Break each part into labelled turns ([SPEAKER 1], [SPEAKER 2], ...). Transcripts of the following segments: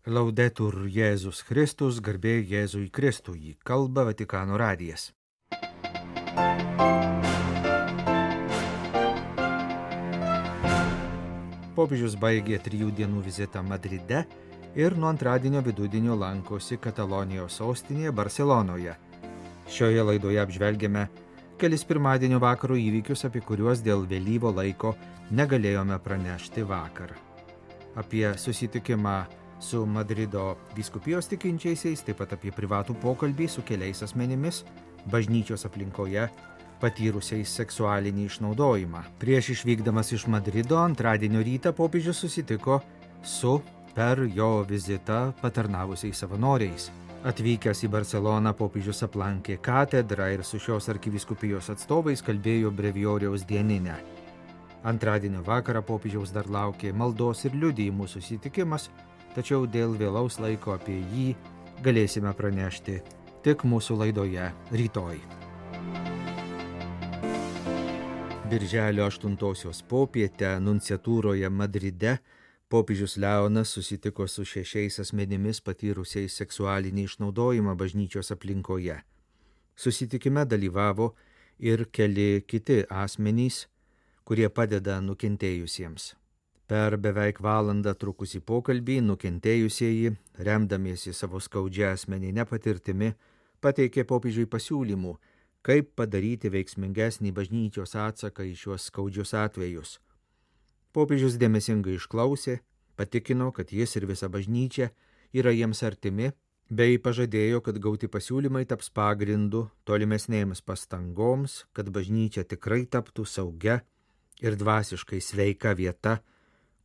[SPEAKER 1] Laudetur Jėzus Kristus, garbė Jėzui Kristui, kalba Vatikano radijas. Popiežius baigė 3 dienų vizitą Madride ir nuo antradienio vidudienio lankosi Katalonijos sostinėje Barselonoje. Šioje laidoje apžvelgėme kelis pirmadienio vakaro įvykius, apie kuriuos dėl vėlyvo laiko negalėjome pranešti vakar. Apie susitikimą su Madrido vyskupijos tikinčiaisiais, taip pat apie privatų pokalbį su keliais asmenimis bažnyčios aplinkoje patyrusiais seksualinį išnaudojimą. Prieš išvykdamas iš Madrido antradienio rytą popiežius susitiko su per jo vizitą patarnavusiais savanoriais. Atvykęs į Barseloną popiežius aplankė katedrą ir su šios arkivyskupijos atstovais kalbėjo brevijoriaus dieninę. Antradienio vakarą popiežiaus dar laukė maldos ir liudijimų susitikimas, tačiau dėl vėlaus laiko apie jį galėsime pranešti tik mūsų laidoje rytoj. Birželio 8 popietę nunciatūroje Madride popiežius Leonas susitiko su 6 asmenimis patyrusiais seksualinį išnaudojimą bažnyčios aplinkoje. Susitikime dalyvavo ir keli kiti asmenys, kurie padeda nukentėjusiems. Per beveik valandą trukusį pokalbį nukentėjusieji, remdamiesi savo skaudžią asmeninę patirtimi, pateikė popiežiui pasiūlymų, kaip padaryti veiksmingesnį bažnyčios atsaką į šiuos skaudžius atvejus. Popiežius dėmesingai išklausė, patikino, kad jis ir visa bažnyčia yra jiems artimi, bei pažadėjo, kad gauti pasiūlymai taps pagrindu tolimesnėms pastangoms, kad bažnyčia tikrai taptų saugia ir dvasiškai sveika vieta,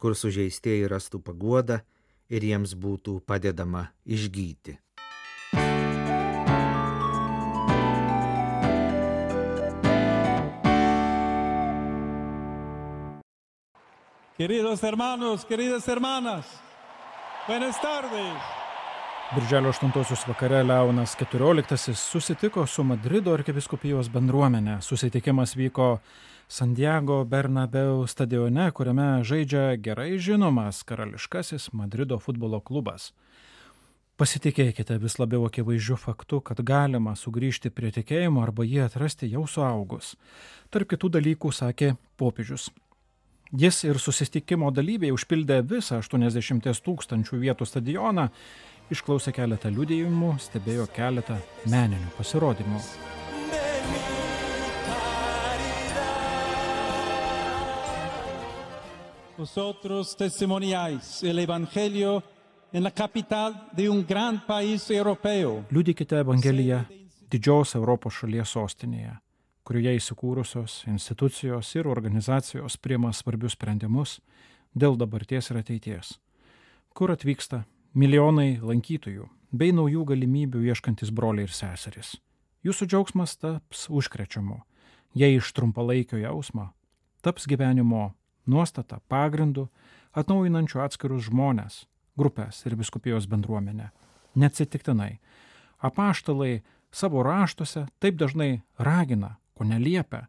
[SPEAKER 1] kur sužeistieji rastų paguodą ir jiems būtų padedama išgyti.
[SPEAKER 2] Queridos hermanos, queridas hermanas, buenas tardes.
[SPEAKER 3] Birželio 8 vakare Leonas XIV susitiko su Madrido arkivyskupijos bendruomenė. Susitikimas vyko Santiago Bernabeu stadione, kuriame žaidžia gerai žinomas karališkasis Madrido futbolo klubas. Pasitikėkite vis labiau akivaizdžiu faktu, kad galima sugrįžti prie tikėjimo arba jį atrasti jau suaugus. Tarp kitų dalykų sakė popiežius. Jis ir susitikimo dalyviai užpildė visą 80 000 vietų stadioną, išklausė keletą liudijimų, stebėjo keletą meninių pasirodymų.
[SPEAKER 2] Vosotros testimoniáis el evangelio en la capital de un gran país europeo.
[SPEAKER 3] Liudykite Evangeliją didžios Europos šalies sostinėje, kurioje įsikūrusios institucijos ir organizacijos priima svarbius sprendimus dėl dabarties ir ateities, kur atvyksta milijonai lankytojų bei naujų galimybių ieškantis broliai ir seserys. Jūsų džiaugsmas taps užkrečiamu, jei iš trumpalaikio jausmo taps gyvenimo nuostata pagrindu, atnaujinančiu atskirus žmones, grupės ir vyskupijos bendruomenę. Neatsitiktinai, apaštalai savo raštuose taip dažnai ragina, ko neliepia,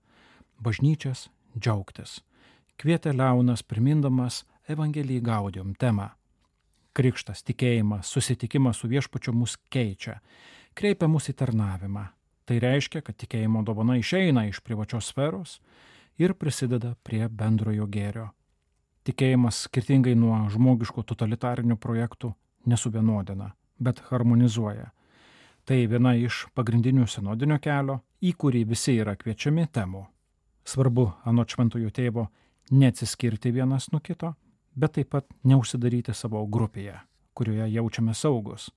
[SPEAKER 3] bažnyčias džiaugtis. Kvietė Leonas primindamas Evangelii Gaudium temą. Krikštas, tikėjimas, susitikimas su viešpačiu mus keičia, kreipia mus į tarnavimą. Tai reiškia, kad tikėjimo dovana išeina iš privačios sferos ir prisideda prie bendrojo gėrio. Tikėjimas skirtingai nuo žmogiškų totalitarinių projektų nesuvienodina, bet harmonizuoja. Tai viena iš pagrindinių sinodinio kelio, į kurį visi yra kviečiami temų. Svarbu, anot šventojo tėvo, neatsiskirti vienas nuo kito, bet taip pat neužsidaryti savo grupėje, kurioje jaučiame saugus.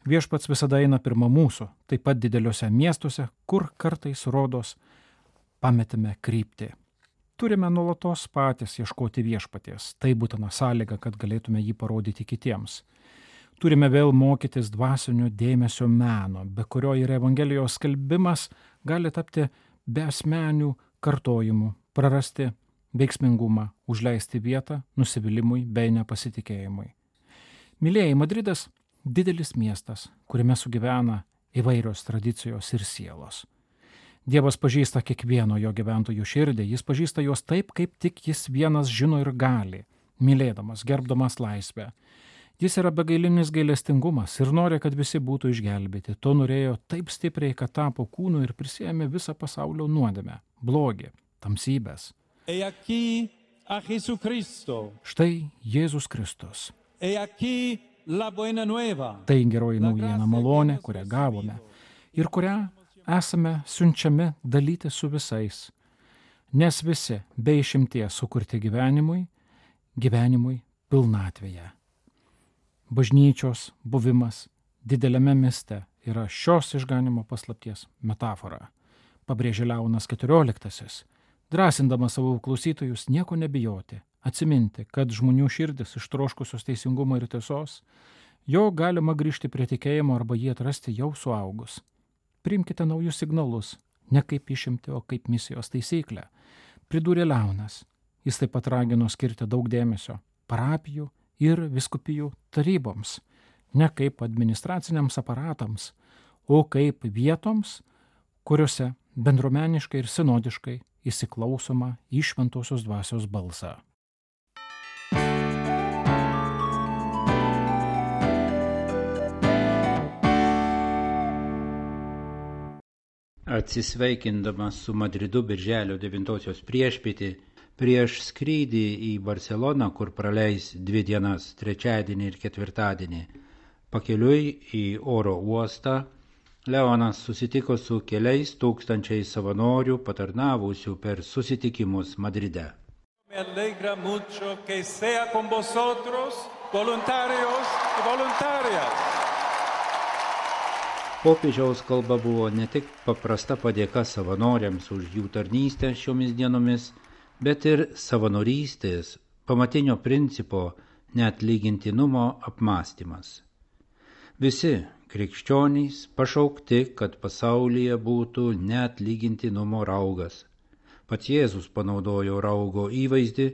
[SPEAKER 3] Viešpats visada eina pirma mūsų, taip pat dideliuose miestuose, kur kartais rodos pametime kryptį. Turime nuolatos patys ieškoti viešpaties, tai būtina sąlyga, kad galėtume jį parodyti kitiems. Turime vėl mokytis dvasinio dėmesio meno, be kurio ir Evangelijos skelbimas gali tapti beasmenių kartojimų, prarasti veiksmingumą, užleisti vietą nusivylimui bei nepasitikėjimui. Mylėjai, Madridas – didelis miestas, kuriame sugyvena įvairios tradicijos ir sielos. Dievas pažįsta kiekvieno jo gyventojų širdį, jis pažįsta juos taip, kaip tik jis vienas žino ir gali, mylėdamas, gerbdamas laisvę. Jis yra begailinis gailestingumas ir nori, kad visi būtų išgelbėti. To norėjo taip stipriai, kad tapo kūnu ir prisėmė visą pasaulio nuodėmę, blogį, tamsybės.
[SPEAKER 2] E aquí a Jesucristo.
[SPEAKER 3] Štai Jėzus Kristus.
[SPEAKER 2] E aquí la buena nueva.
[SPEAKER 3] Tai geroji naujiena, malonė, kurią gavome ir kurią esame siunčiami dalyti su visais, nes visi be išimties sukurti gyvenimui pilnatvėje. Bažnyčios buvimas dideliame mieste yra šios išganimo paslapties metafora, pabrėžė Leonas XIV, drąsindamas savo klausytojus nieko nebijoti, atsiminti, kad žmonių širdis ištroškusios teisingumo ir tiesos, jo galima grįžti prie tikėjimo arba jį atrasti jau suaugus. Priimkite naujus signalus, ne kaip išimti, o kaip misijos taisyklę, pridūrė Leonas. Jis taip pat ragino skirti daug dėmesio parapijų ir vyskupijų taryboms, ne kaip administraciniams aparatams, o kaip vietoms, kuriuose bendruomeniškai ir sinodiškai įsiklausoma į šventosios dvasios balsą.
[SPEAKER 4] Atsisveikindamas su Madridu birželio 9 priešpietį, prieš skrydį į Barceloną, kur praleis 2 dienas, trečiadienį ir ketvirtadienį, pakeliui į oro uostą, Leonas susitiko su keliais tūkstančiais savanorių patarnavusių per susitikimus Madride.
[SPEAKER 2] Me alegra mucho que sea con vosotros, voluntarios y voluntarias.
[SPEAKER 4] Popiežiaus kalba buvo ne tik paprasta padėka savanoriams už jų tarnystę šiomis dienomis, bet ir savanorystės, pamatinio principo neatlygintinumo apmąstymas. Visi krikščionys pašaukti, kad pasaulyje būtų neatlygintinumo raugas. Pats Jėzus panaudojo raugo įvaizdį,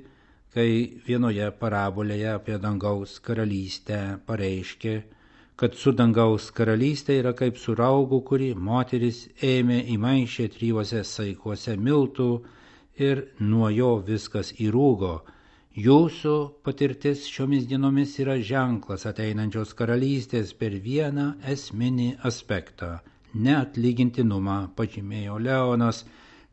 [SPEAKER 4] kai vienoje parabolėje apie dangaus karalystę pareiškė, kad su dangaus karalystė yra kaip su raugu, kurį moteris ėmė įmaišė 3 saikuose miltų ir nuo jo viskas įrūgo. Jūsų patirtis šiomis dienomis yra ženklas ateinančios karalystės per vieną esminį aspektą – neatlygintinumą, pažymėjo Leonas,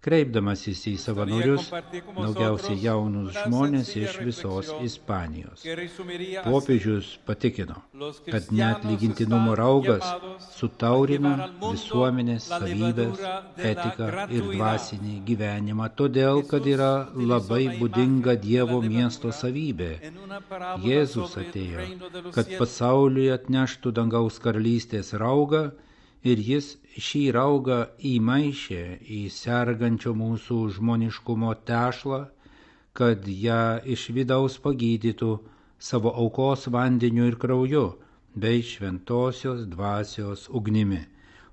[SPEAKER 4] kreipdamasis į savanorius, daugiausiai jaunus žmonės iš visos Ispanijos. Popiežius patikino, kad neatlygintinumo raugas sutaurina visuomenės savybės, etiką ir dvasinį gyvenimą, todėl, kad yra labai būdinga Dievo miesto savybė. Jėzus atėjo, kad pasauliui atneštų dangaus karalystės raugą, ir jis šį raugą įmaišė į sergančio mūsų žmoniškumo tešlą, kad ją iš vidaus pagydytų savo aukos vandeniu ir krauju, bei šventosios dvasios ugnimi.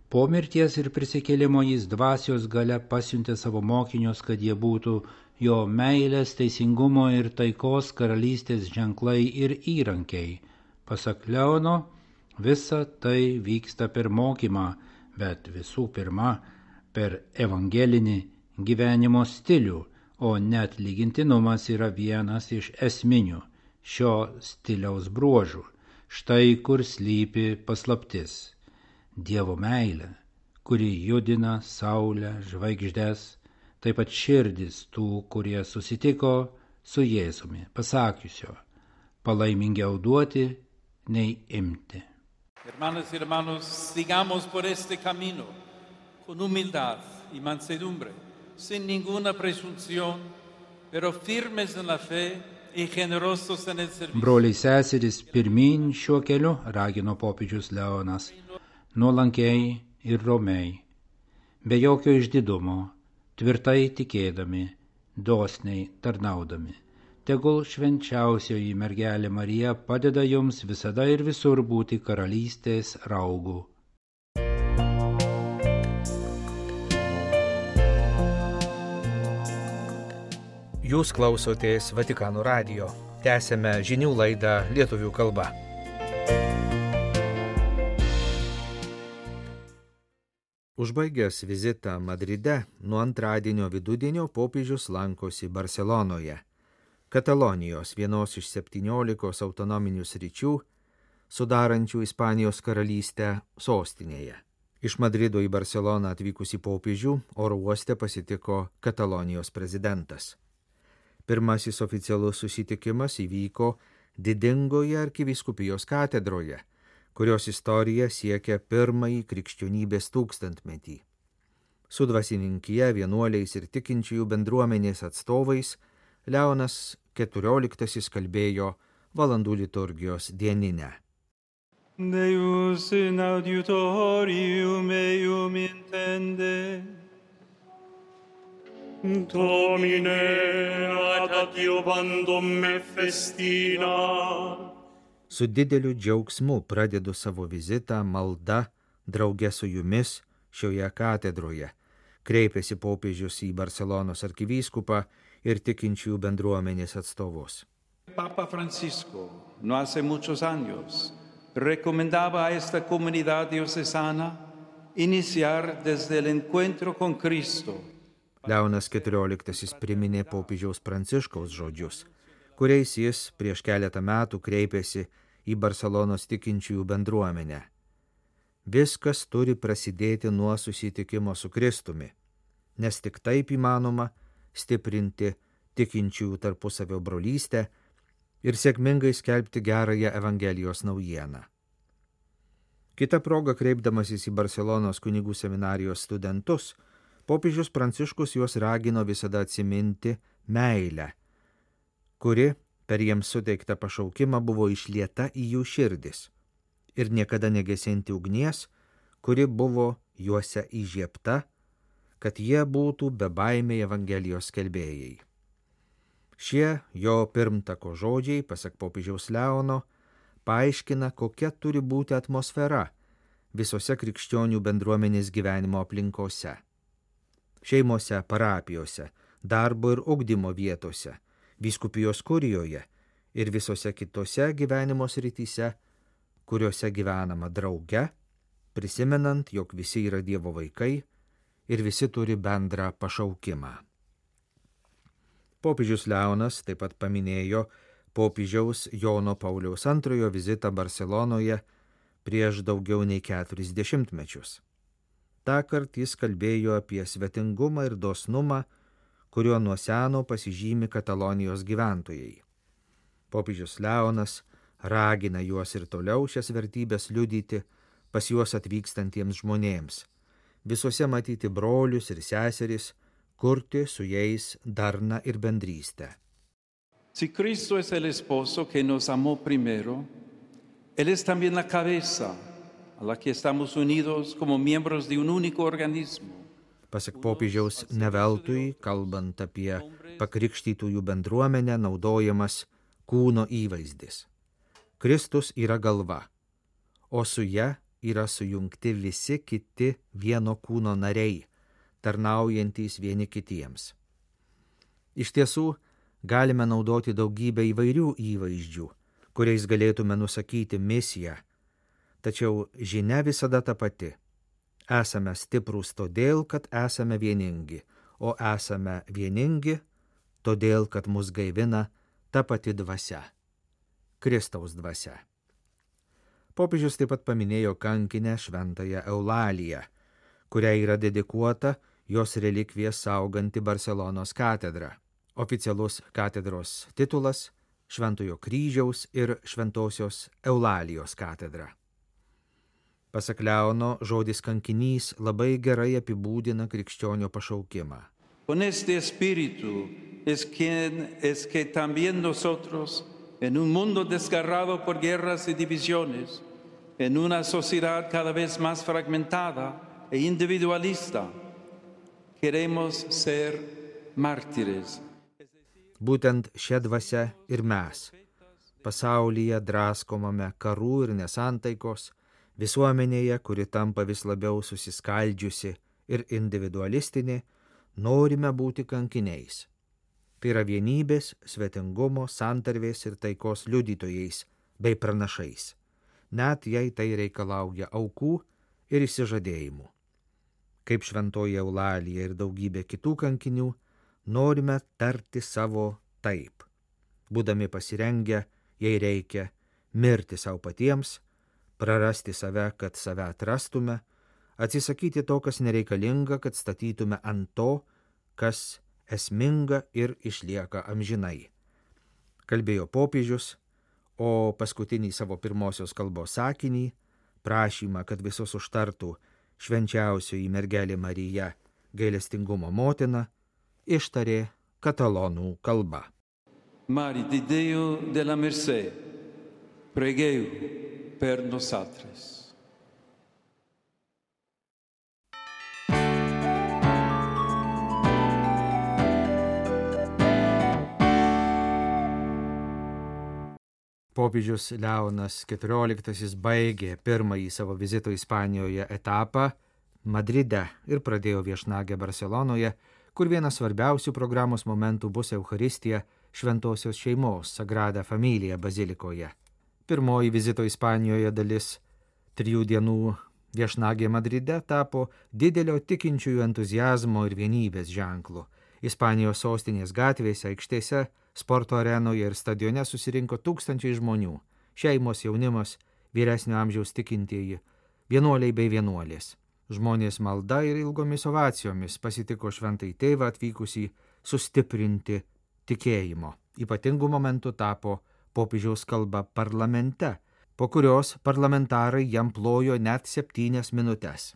[SPEAKER 4] Po mirties ir prisikėlimo jis dvasios galia pasiuntė savo mokinius, kad jie būtų jo meilės, teisingumo ir taikos karalystės ženklai ir įrankiai. Pasak Leono, visa tai vyksta per mokymą, bet visų pirma per evangelinį gyvenimo stilių, o neatlygintinumas yra vienas iš esminių šio stiliaus bruožų. Štai kur slypi paslaptis. Dievo meilė, kuri judina saulę, žvaigždes, taip pat širdis tų, kurie susitiko su Jėzumi, pasakiusio, palaimingiau duoti nei imti.
[SPEAKER 2] Hermanas y hermanos, sigamos por este camino con humildad y mansedumbre, sin ninguna presunción, pero firmes en la fe y generosos en el servicio.
[SPEAKER 4] Broliai seserys, pirmyn šiuo keliu, ragino popiežius Leonas, nuolankiai ir romiai, be jokio išdidumo, tvirtai tikėdami, dosniai tarnaudami. Tegul švenčiausioji mergelė Marija padeda jums visada ir visur būti karalystės raugu.
[SPEAKER 1] Jūs klausotės Vatikano radijo. Tęsėme žinių laidą lietuvių kalba. Užbaigęs vizitą Madride, nuo antradienio vidudienio popiežius lankosi Barselonoje. Katalonijos, vienos iš 17 autonominių sričių, sudarančių Ispanijos karalystę sostinėje. Iš Madrido į Barceloną atvykusį popiežių oro uoste pasitiko Katalonijos prezidentas. Pirmasis oficialus susitikimas įvyko didingoje arkivyskupijos katedroje, kurios istorija siekia pirmąjį krikščionybės tūkstantmetį. Su dvasininkija, vienuoliais ir tikinčiųjų bendruomenės atstovais Leonas XIV kalbėjo valandų liturgijos dieninę.
[SPEAKER 2] Deus in auditorium meum intende.
[SPEAKER 5] Domine, ad adiuvandum me festina.
[SPEAKER 1] Su dideliu džiaugsmu pradedu savo vizitą malda drauge su jumis šioje katedroje, kreipėsi popiežius į Barcelonos arkivyskupą ir tikinčiųjų bendruomenės atstovus.
[SPEAKER 2] Papa Francisco, no hace muchos años, recomendaba a esta comunidad diocesana iniciar desde el encuentro con Cristo.
[SPEAKER 1] Leonas XIV priminė popiežiaus Pranciškaus žodžius, kuriais jis prieš keletą metų kreipėsi į Barcelonos tikinčiųjų bendruomenę. Viskas turi prasidėti nuo susitikimo su Kristumi, nes tik taip įmanoma stiprinti tikinčiųjų tarpusavio brolystę ir sėkmingai skelbti gerąją Evangelijos naujieną. Kita proga, kreipdamasis į Barcelonos kunigų seminarijos studentus, popiežius Pranciškus juos ragino visada atsiminti meilę, kuri per jiems suteiktą pašaukimą buvo išlieta į jų širdis ir niekada negesinti ugnies, kuri buvo juose įžiebta, kad jie būtų bebaimiai Evangelijos skelbėjai. Šie jo pirmtako žodžiai, pasak popiežiaus Leono, paaiškina, kokia turi būti atmosfera visose krikščionių bendruomenės gyvenimo aplinkose. Šeimose, parapijose, darbo ir ugdymo vietose, vyskupijos kurijoje ir visose kitose gyvenimo srityse, kuriuose gyvenama drauge, prisimenant, jog visi yra Dievo vaikai ir visi turi bendrą pašaukimą. Popiežius Leonas taip pat paminėjo popiežiaus Jono Pauliaus II vizitą Barcelonoje prieš daugiau nei 40 metus. Tąkart jis kalbėjo apie svetingumą ir dosnumą, kuriuo nuo seno pasižymi Katalonijos gyventojai. Popiežius Leonas ragina juos ir toliau šias vertybės liudyti pas juos atvykstantiems žmonėms, visuose matyti brolius ir seseris, kurti su jais darną ir bendrystę.
[SPEAKER 2] Si Cristo es el esposo que nos amó primero, Él es también la cabeza a la que estamos unidos como miembros de un único organismo.
[SPEAKER 1] Pasak popiežiaus, neveltui, kalbant apie pakrikštytųjų bendruomenę, naudojamas kūno įvaizdis. Kristus yra galva, o su ja yra sujungti visi kiti vieno kūno nariai, tarnaujantys vieni kitiems. Iš tiesų, galime naudoti daugybę įvairių įvaizdžių, kuriais galėtume nusakyti misiją, tačiau žinia visada ta pati. Esame stiprūs todėl, kad esame vieningi, o esame vieningi todėl, kad mus gaivina ta pati dvasia – Kristaus dvasia. Popiežius taip pat paminėjo kankinę šventąją Eulaliją, kuriai yra dedikuota jos relikvijas sauganti Barcelonos katedra. Oficialus katedros titulas – Šventojo kryžiaus ir Šventosios Eulalijos katedra. Pasak Leono, žodis kankinys labai gerai apibūdina krikščionio pašaukimą.
[SPEAKER 2] Con este espíritu es que también nosotros, en un mundo desgarrado por guerras y divisiones, en una sociedad cada vez más fragmentada e individualista, queremos ser mártires.
[SPEAKER 1] Būtent šia dvasia ir mes, pasaulyje draskomame karų ir nesantaikos, visuomenėje, kuri tampa vis labiau susiskaldžiusi ir individualistinė, norime būti kankiniais. Tai yra vienybės, svetingumo, santarvės ir taikos liudytojais bei pranašais, net jei tai reikalauja aukų ir išsižadėjimų. Kaip šventoji Eulalija ir daugybė kitų kankinių, norime tarti savo taip, būdami pasirengę, jei reikia, mirti savo patiems, prarasti save, kad save atrastume, atsisakyti to, kas nereikalinga, kad statytume ant to, kas esminga ir išlieka amžinai. Kalbėjo popiežius, o paskutinį savo pirmosios kalbos sakinį, prašymą, kad visus užtartų švenčiausioji mergelė Marija, gailestingumo motina, ištarė katalonų kalba.
[SPEAKER 2] Mari di Deo della Mercè, pregeu per nosaltres.
[SPEAKER 1] Popiežius Leonas XIV baigė pirmąjį savo vizito Ispanijoje etapą Madride ir pradėjo viešnagę Barselonoje, kur vienas svarbiausių programos momentų bus Eucharistija Šventosios šeimos Sagrada Familia bazilikoje. Pirmoji vizito Ispanijoje dalis 3 dienų viešnagė Madride tapo didelio tikinčiųjų entuziazmo ir vienybės ženklu. Ispanijos sostinės gatvėse, aikštėse, sporto arenoje ir stadione susirinko tūkstančiai žmonių, šeimos, jaunimas, vyresnio amžiaus tikintieji, vienuoliai bei vienuolės. Žmonės malda ir ilgomis ovacijomis pasitiko šventąjį tėvą atvykusį sustiprinti tikėjimo. Ypatingų momentų tapo popiežiaus kalba parlamente, po kurios parlamentarai jam plojo net 7 minutes.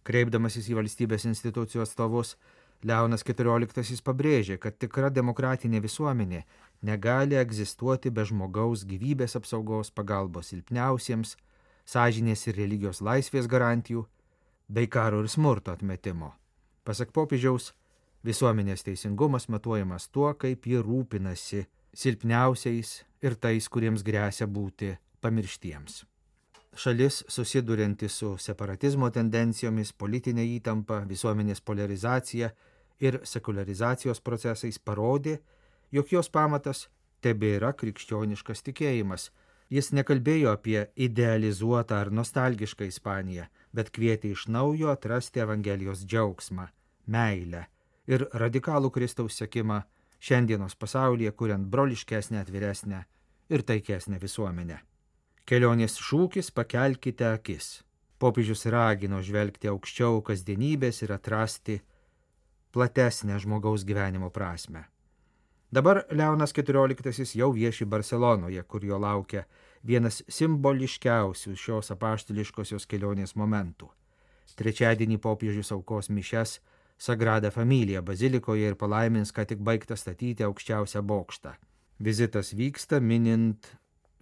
[SPEAKER 1] Kreipdamasis į valstybės institucijų atstovus, Leonas XIV pabrėžė, kad tikra demokratinė visuomenė negali egzistuoti be žmogaus gyvybės apsaugos, pagalbos silpniausiems, sąžinės ir religijos laisvės garantijų, bei karo ir smurto atmetimo. Pasak popiežiaus, visuomenės teisingumas matuojamas tuo, kaip ji rūpinasi silpniausiais ir tais, kuriems gresia būti pamirštiems. Šalis, susidurianti su separatizmo tendencijomis, politinė įtampa, visuomenės polarizacija ir sekularizacijos procesais parodė, jog jos pamatas tebėra krikščioniškas tikėjimas. Jis nekalbėjo apie idealizuotą ar nostalgišką Ispaniją, bet kvietė iš naujo atrasti Evangelijos džiaugsmą, meilę ir radikalų Kristaus sekimą šiandienos pasaulyje, kuriant broliškesnę, atviresnę ir taikesnę visuomenę. Kelionės šūkis pakelkite akis. Popiežius ragino žvelgti aukščiau kasdienybės ir atrasti platesnę žmogaus gyvenimo prasmę. Dabar Leonas XIV jau vieši Barselonoje, kur jo laukia vienas simboliškiausių šios apaštališkosios kelionės momentų. Trečiadienį popiežius aukos mišias Sagrada Familia bazilikoje ir palaimins, ką tik baigta statyti aukščiausią bokštą. Vizitas vyksta minint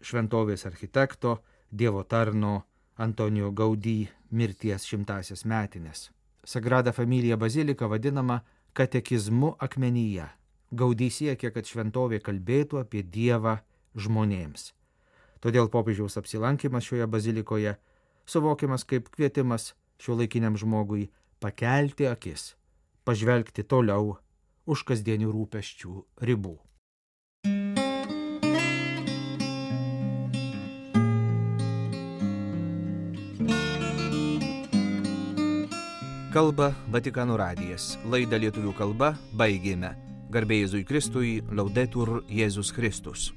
[SPEAKER 1] šventovės architekto, Dievo tarno Antonijo Gaudí mirties 100-asias metines. Sagrada Familia bazilika vadinama katekizmu akmenyje. Gaudí siekia, kad šventovė kalbėtų apie Dievą žmonėms. Todėl popiežiaus apsilankimas šioje bazilikoje suvokiamas kaip kvietimas šiuolaikiniam žmogui pakelti akis, pažvelgti toliau už kasdienių rūpesčių ribų. Kalba Vatikano radijas. Laidą lietuvių kalba baigėme. Garbė Jėzui Kristui, Laudetur Jėzus Kristus.